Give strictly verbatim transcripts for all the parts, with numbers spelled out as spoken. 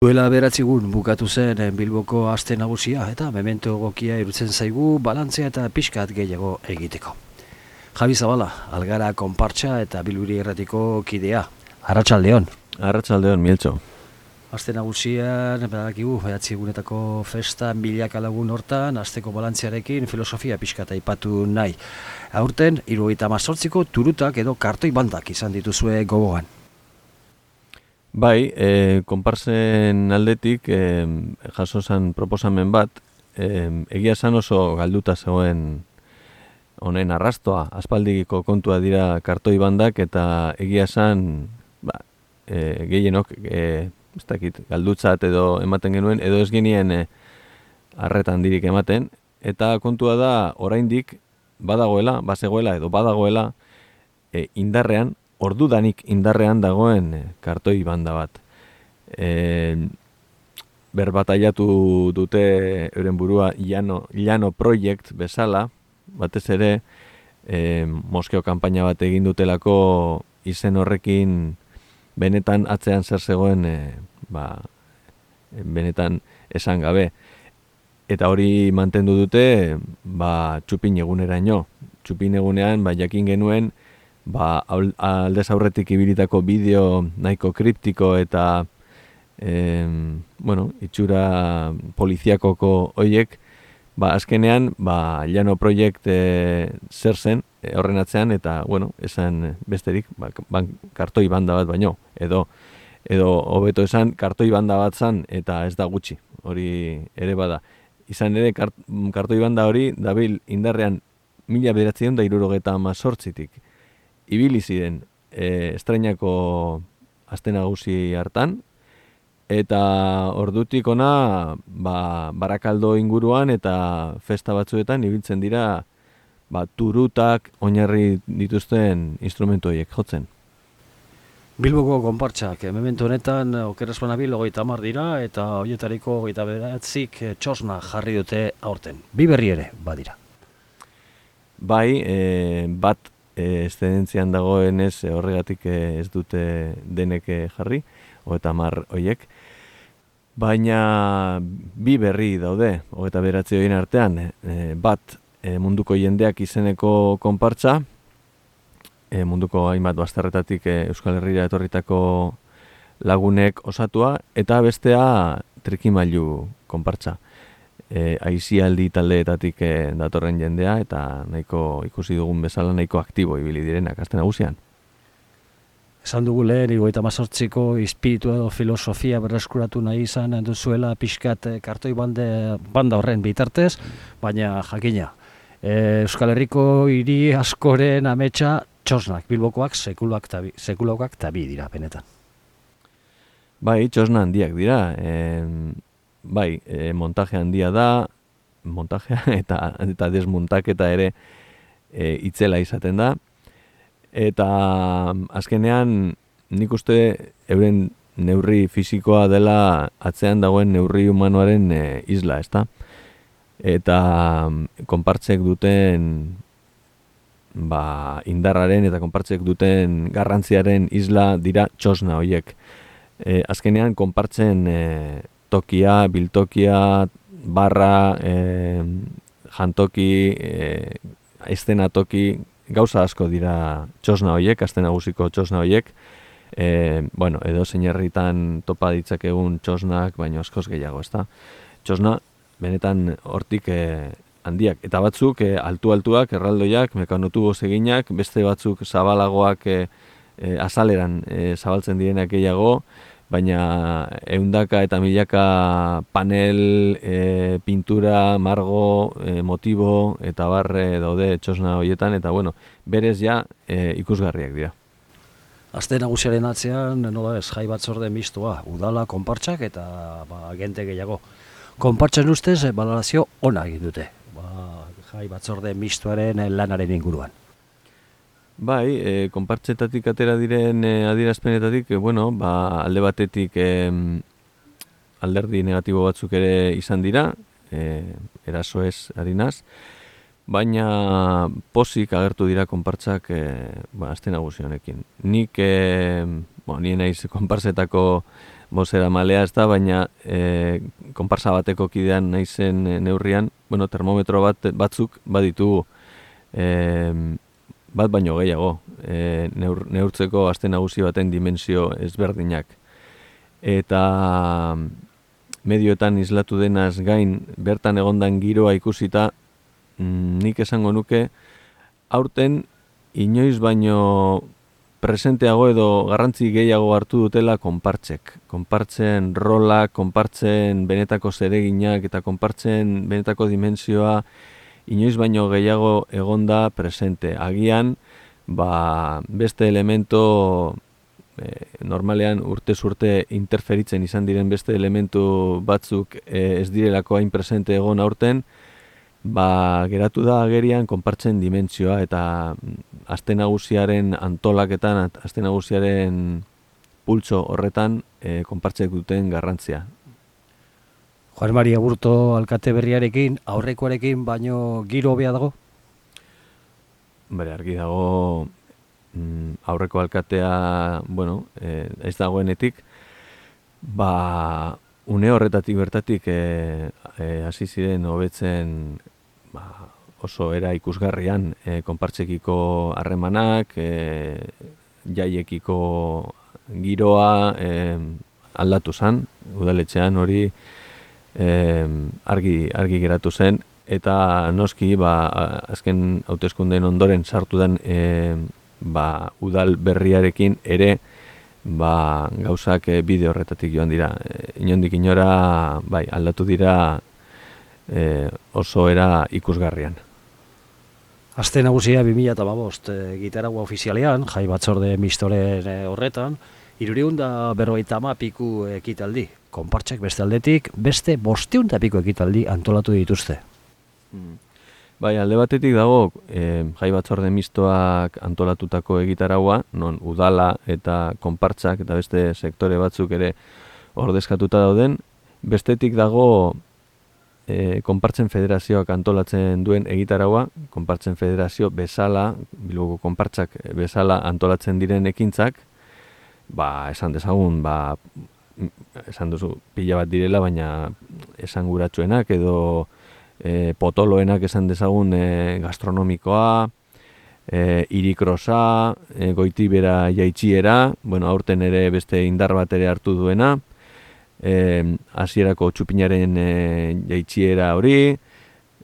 Duela beratzigun bukatu zen Bilboko aste nagusia eta memento egokia irutzen zaigu balantzea eta pixkat gehiago egiteko. Javi Zabala, Algara konpartsa eta Bilbiri erratiko kidea. Arratsaldeon. Arratsaldeon, Mieltxo. Aste nagusian, badakigu, bederatzi egunetako festa milaka lagun hortan, asteko balantziarekin filosofia pixkat aipatu nahi. Aurten, hirurogeita hemezortziko turutak edo kartoi bandak izan dituzue gogoan. Bai, e, konparsen aldetik e, jaso zen proposamen bat, e, egia esan oso galduta zegoen honen arrastoa, aspaldiko kontua dira kartoi bandak eta egia esan ba, e, gehienok e, ez dakit, galdutzat edo ematen genuen, edo ez genien e, arretan dirik ematen, eta kontua da oraindik badagoela, bazegoela edo badagoela e, indarrean, ordudanik indarrean dagoen kartoi banda bat. E, berbataiatu dute euren burua Llano, Llano Project bezala, batez ere e, Moskeo kanpaina bat egin dutelako izen horrekin benetan atzean zer zegoen e, ba, benetan esan gabe. Eta hori mantendu dute ba, txupin eguneraino. Txupin egunean ba, jakin genuen ba, aldez aurretik ibilitako bideo nahiko kriptiko eta e, bueno, itxura poliziakoko hoiek, ba, azkenean ba, Llano Project e, zer zen e, horren atzean eta bueno, esan besterik ba, ban, kartoi banda bat baino, edo edo hobeto esan kartoi banda bat zan eta ez da gutxi, hori ere bada. Izan ere kart, kartoi banda hori dabil indarrean mila bederatziehun eta hirurogeita hemezortzitik ibili ziren e, estrainako aste nagusi hartan, eta ordutik ona ba, Barakaldo inguruan eta festa batzuetan ibiltzen dira ba, turutak oinarri dituzten instrumentu horiek jotzen. Bilboko konpartsak, memento honetan okeraz banabil hogeita hamar dira eta horietariko hogeita bederatzik txosna jarri dute aurten. Bi berri ere badira. Bai, e, bat eszedentzian dagoenez horregatik ez dute denek jarri, hogeita hamar hoiek. Baina bi berri daude, hogeita bederatzi horien artean, e, bat e, munduko jendeak izeneko konpartsa, e, munduko hainbat bazterretatik e, Euskal Herrira etorritako lagunek osatua, eta bestea trikimailu konpartsa. E, aizialdi taldeetatik e, datorren jendea eta nahiko ikusi dugun bezala nahiko aktibo ibili direnak aste nagusian. Esan dugu lehen, hirurogeita hemezortziko espiritu edo filosofia berreskuratu nahi izan duzuela pixkat kartoi bande, banda horren bitartez, baina jakina. E, Euskal Herriko hiri askoren ametsa txosnak, Bilbokoak sekuloak tabi, sekuloak tabi dira benetan. Bai, txosna handiak dira. E, Bai, e, montaje handia da, montajea eta, eta desmontaketa ere e, itzela izaten da. Eta azkenean nik uste euren neurri fisikoa dela atzean dagoen neurri humanoaren e, isla, ezta? Eta konpartzek duten ba, indarraren eta konpartzek duten garrantziaren isla dira txosna horiek. E, azkenean konpartzen e, tokia, biltokia, barra, e, jantoki, e, eszenatoki, gauza asko dira txosna horiek, aste nagusiko txosna horiek. E, bueno, edo zein herritan topa ditzakegun txosnak, baina askoz gehiago, ezta? Txosna, benetan hortik e, handiak. Eta batzuk, e, altu-altuak, erraldoiak, mekanotubo eginak, beste batzuk zabalagoak e, e, azaleran e, zabaltzen direnak gehiago, baina ehundaka eta milaka panel, e, pintura, margo, e, motibo eta barre daude txosna horietan, eta bueno, berez ja e, ikusgarriak dira. Aste nagusiaren atzean, nola ez, jai batzorde mistoa, udala, konpartsak eta ba, agente gehiago. Konpartsen ustez, balorazio ona egin dute, ba, jai batzorde mistoaren lanaren inguruan. Bai, e, konpartzetatik atera diren e, adierazpenetatik, e, bueno, ba, alde batetik e, alderdi negatibo batzuk ere izan dira, e, eraso ez harinaz, baina pozik agertu dira konpartzak e, ba, aste nagusi honekin. Nik, e, bo, nien naiz konpartzetako bozera malea ez da, baina e, konparsa bateko kidean naizen e, neurrian, bueno, termometro bat batzuk baditu e, bat baino gehiago, e, neur, neurtzeko aste nagusi baten dimensio ezberdinak. Eta medioetan islatu denaz gain, bertan egondan giroa ikusita, mm, nik esango nuke, aurten inoiz baino presenteago edo garrantzi gehiago hartu dutela konpartzek. Konpartzen rola, konpartzen benetako zereginak eta konpartzen benetako dimensioa inoiz baino gehiago egonda presente. Agian, ba, beste elemento e, normalean urtez urte interferitzen izan diren beste elementu batzuk e, ez direlako hain presente egon aurten, ba, geratu da agerian konpartzen dimentsioa eta aste nagusiaren antolaketan, aste nagusiaren pultso horretan e, konpartzek duten garrantzia. Juan Maria Burto alkate berriarekin, aurrekoarekin baino giro hobea dago? Bere, argi dago mm, aurreko alkatea, bueno, e, ez dagoenetik, ba, une horretatik bertatik e, e, hasi ziren hobetzen ba, oso era ikusgarrian e, konpartzekiko harremanak, e, jaiekiko giroa e, aldatu zen, udaletxean hori e, argi, argi geratu zen, eta noski ba, azken hauteskundeen ondoren sartu den e, ba, udal berriarekin ere ba, gauzak e, bide horretatik joan dira. E, inondik inora bai, aldatu dira e, oso era ikusgarrian. Aste nagusia bi mila hamabost e, gitaragua ofizialean, jai batzorde mistoren e, horretan, hirurehun eta berrogeita hamar piku ekitaldi. Konpartzek beste aldetik, beste bostehun eta piku ekitaldi antolatu dituzte. Bai, alde batetik dago e, jai batzorde mistoak antolatutako egitaragua, non udala eta konpartzak eta beste sektore batzuk ere ordezkatuta dauden. Bestetik dago e, konpartzen federazioak antolatzen duen egitaragua, konpartzen federazio bezala, Bilboko konpartzak bezala antolatzen diren ekintzak, ba, esan dezagun, ba, esan duzu pila bat direla, baina esanguratsuenak edo E, potoloenak esan dezagun e, gastronomikoa, e, irikrosa, e, goitibera jaitxiera, bueno, aurten ere beste indar bat ere hartu duena, e, hasierako txupinaren e, jaitxiera hori,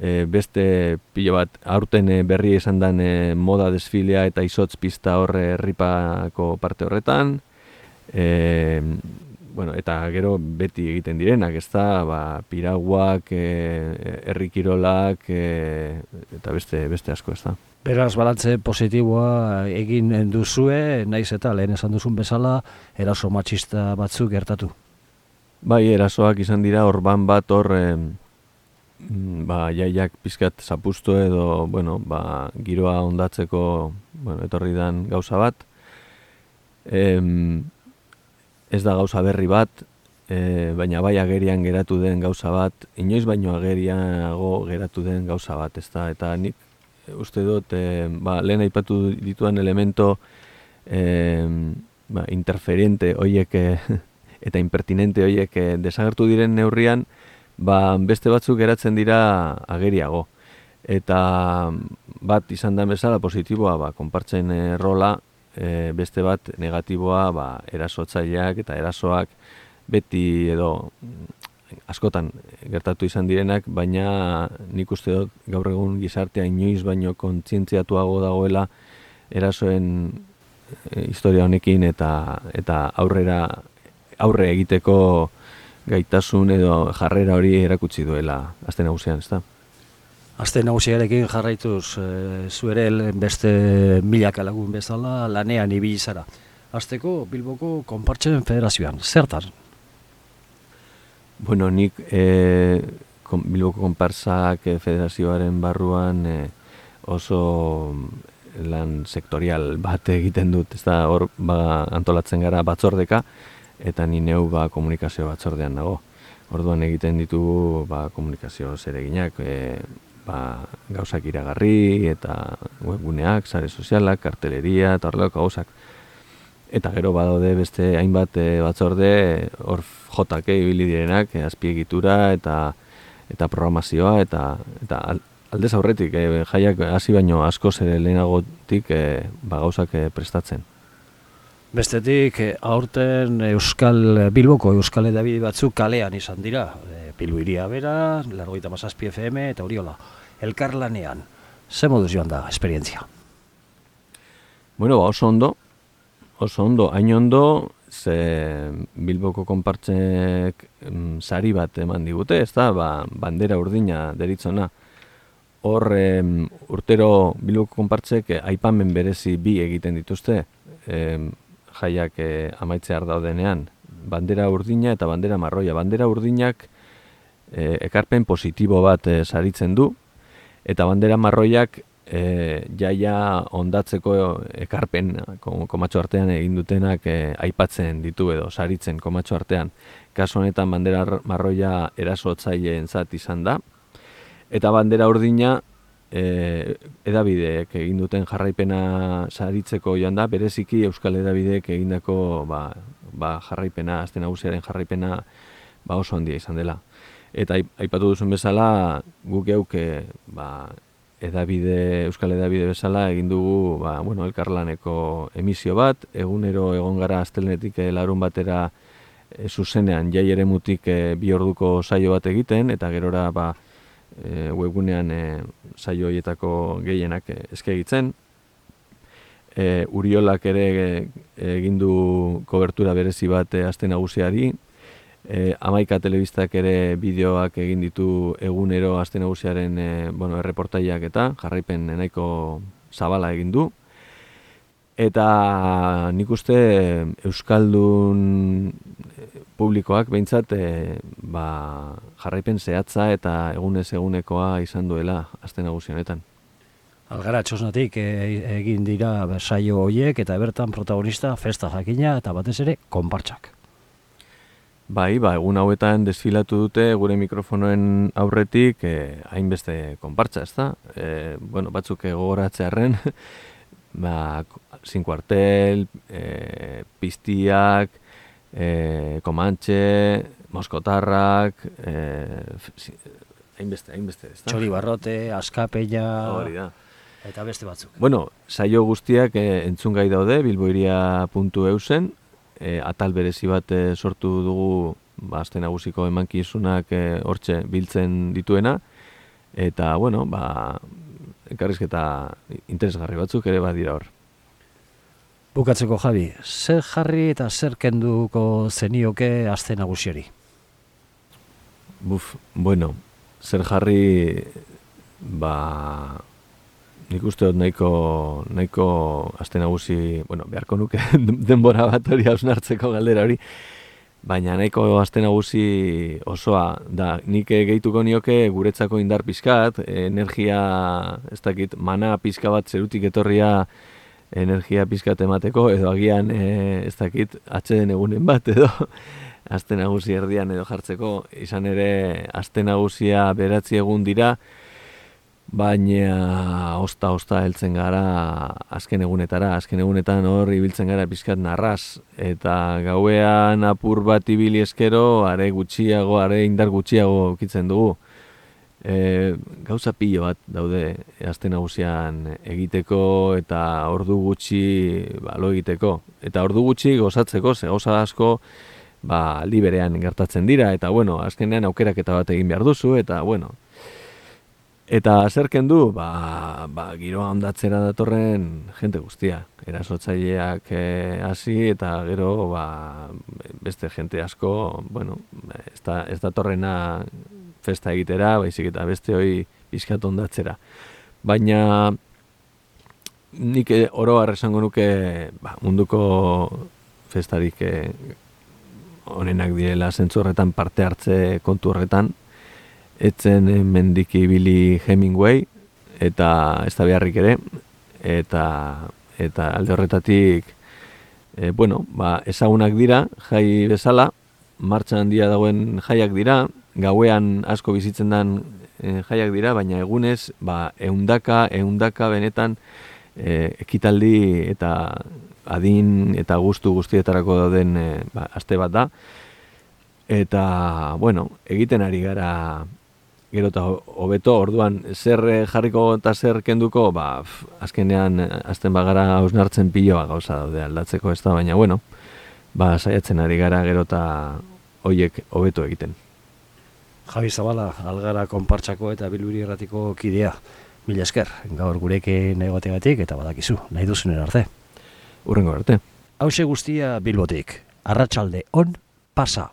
e, beste pilo bat aurten e, berri esan dan e, moda desfilea eta izotz pista horre herripako parte horretan, e, bueno, eta gero beti egiten direnak, ez da, ba, piraguak, e, herrikirolak, e, eta beste, beste asko, ez da. Beraz, balantze positiboa egin duzue, naiz eta lehen esan duzun bezala, eraso matxista batzuk gertatu. Bai, erasoak izan dira, orban bat hor, e, ba, jaiak pizkat zapustu edo, bueno, ba, giroa ondatzeko, bueno, etorri dan gauza bat. Em, Ez da gauza berri bat, e, baina bai agerian geratu den gauza bat, inoiz baino ageriago geratu den gauza bat, ez da, eta nik uste dut, e, ba, lehen aipatu dituan elemento e, ba, interferente hoiek eta impertinente hoiek desagertu diren neurrian, ba, beste batzuk geratzen dira ageriago. Eta bat izan da bezala positiboa, ba, konpartzen e, rola, E, beste bat negatiboa ba, erasotzaileak eta erasoak beti edo askotan gertatu izan direnak, baina nik uste dut gaur egun gizartea inoiz baino kontzientziatuago dagoela erasoen e, historia honekin eta eta aurrera aurre egiteko gaitasun edo jarrera hori erakutsi duela aste nagusian, ezta? Aste nagusiarekin jarraituz, e, zu ere beste milaka lagun bezala lanean ibili zara. Hasteko Bilboko Konpartzen Federazioan, zertan? Bueno, nik e, kon, Bilboko Konpartzak Federazioaren barruan e, oso lan sektorial bat egiten dut, ez da hor ba, antolatzen gara batzordeka, eta ni neu ba, komunikazio batzordean nago. Orduan egiten ditugu ba, komunikazio zereginak, e, ba, gauzak iragarri eta webguneak, sare sozialak, karteleria eta horrelako gauzak. eta gero badaude beste hainbat e, batzorde hor jotak ibili direnak, e, azpiegitura eta eta programazioa eta eta aldez aurretik e, jaiak hasi baino askoz ere lehenagotik e, ba, gauzak e, prestatzen. Bestetik, aurten Euskal Bilboko Euskal Hedabide batzuk kalean izan dira. E, Bilbo hiria bera, laurogeita hamazazpi F M eta Oriola. Elkarlanean, ze moduz joan da esperientzia? Bueno, ba, oso ondo, oso ondo, hain ondo, ze Bilboko konpartsek mm, sari bat eman digute, ez da, ba, bandera urdina deritzona. Hor, em, urtero Bilboko konpartsek eh, aipamen berezi bi egiten dituzte, em, jaiak eh, amaitzear daudenean, bandera urdina eta bandera marroia. Bandera urdinak eh, ekarpen positibo bat eh, saritzen du, eta bandera marroiak eh, jaia ondatzeko ekarpen komatxo artean egin dutenak eh, aipatzen ditu edo saritzen komatxo artean. Kasu honetan bandera marroia erasotzaileen zat izan da, eta bandera urdina E, edabideek egin duten jarraipena saritzeko joan da, bereziki Euskal Edabideek egindako ba, ba jarraipena, Aste Nagusiaren jarraipena ba oso handia izan dela. Eta aipatu duzun bezala, guk geuk ba, edabide, Euskal Edabide bezala egin dugu ba, bueno, elkarlaneko emisio bat, egunero egon gara astelenetik larun batera e, zuzenean jai eremutik e, bi orduko saio bat egiten, eta gerora ba, E, webgunean e, saio horietako gehienak e, eskagitzen. E, Uriolak ere e, egin du kobertura berezi bat e, Aste Nagusiari. E, Hamaika telebistak ere bideoak egin ditu egunero Aste Nagusiaren e, bueno, erreportaiak eta jarraipen nahiko zabala egin du. Eta nik uste Euskaldun publikoak behintzat e, ba, jarraipen zehatza eta egunez egunekoa izan duela Aste Nagusi honetan. Algara txosnatik e, egin dira saio horiek eta bertan protagonista festa jakina eta batez ere konpartsak. Bai, ba, egun hauetan desfilatu dute gure mikrofonoen aurretik e, hainbeste konpartsa, ezta? E, bueno, batzuk gogoratzearren ba, Sin Cuartel, e, Piztiak, e, Komantxe, Moskotarrak, hainbeste, e, hainbeste, ez da? Txori Barrote, Askapeña, hori da. Eta beste batzuk. Bueno, saio guztiak e, entzungai daude, bilboiria puntu eusen, e, atal berezi bat e, sortu dugu ba, Aste Nagusiko emankizunak e, hortxe biltzen dituena, eta, bueno, ba, elkarrizketa interesgarri batzuk ere badira hor. Bukatzeko, Javi, zer jarri eta zer kenduko zenioke Aste Nagusiari? Buf, bueno, zer jarri, ba, nik uste dut nahiko, nahiko Aste Nagusi, bueno, beharko nuke denbora bat hori hausnartzeko galdera hori, baina nahiko Aste Nagusi osoa da, nik gehituko nioke guretzako indar pizkat, energia, ez dakit, mana pizka bat zerutik etorria energia pizkat emateko, edo agian e, ez dakit, atxeden egunen bat, edo Aste Nagusi erdian edo jartzeko, izan ere Aste Nagusia beratzi egun dira, baina osta-osta heltzen gara azken egunetara, azken egunetan hor ibiltzen gara pizkat narraz, eta gauean apur bat ibili eskero, are gutxiago, are indar gutxiago ukitzen dugu. E, gauza pilo bat daude Aste Nagusian egiteko eta ordu gutxi ba, lo egiteko. Eta ordu gutxi gozatzeko, ze gauza asko ba, aldi berean gertatzen dira, eta bueno, azkenean aukeraketa bat egin behar duzu, eta bueno. Eta zer kendu, ba, ba, giroa ondatzera datorren jente guztia. Erasotzaileak hasi e, eta gero ba, beste jente asko, bueno, ez, da, ez datorrena festa egitera, baizik eta beste hori pizkat ondatzera. Baina nik oro har esango nuke ba, munduko festarik eh, onenak direla zentzu horretan parte hartze kontu horretan. Etzen mendik ibili Hemingway eta ez da beharrik ere, eta, eta alde horretatik e, bueno, ba, ezagunak dira jai bezala, martxan handia dagoen jaiak dira, gauean asko bizitzen den e, jaiak dira, baina egunez ba, eundaka, eundaka benetan e, ekitaldi eta adin eta gustu guztietarako dauden e, ba, aste bat da. Eta, bueno, egiten ari gara gero eta hobeto, orduan zer jarriko eta zer kenduko, ba, f, azkenean azten bagara hausnartzen piloa gauza daude aldatzeko ez da, baina, bueno, ba, saiatzen ari gara gero eta hoiek hobeto egiten. Javi Zabala, Algara konpartsako eta Bilbiri Irratiko kidea. Mila esker, gaur gurekin egotegatik eta badakizu, nahi duzunen arte. Hurrengo arte. Hauxe guztia Bilbotik, arratsalde on, pasa.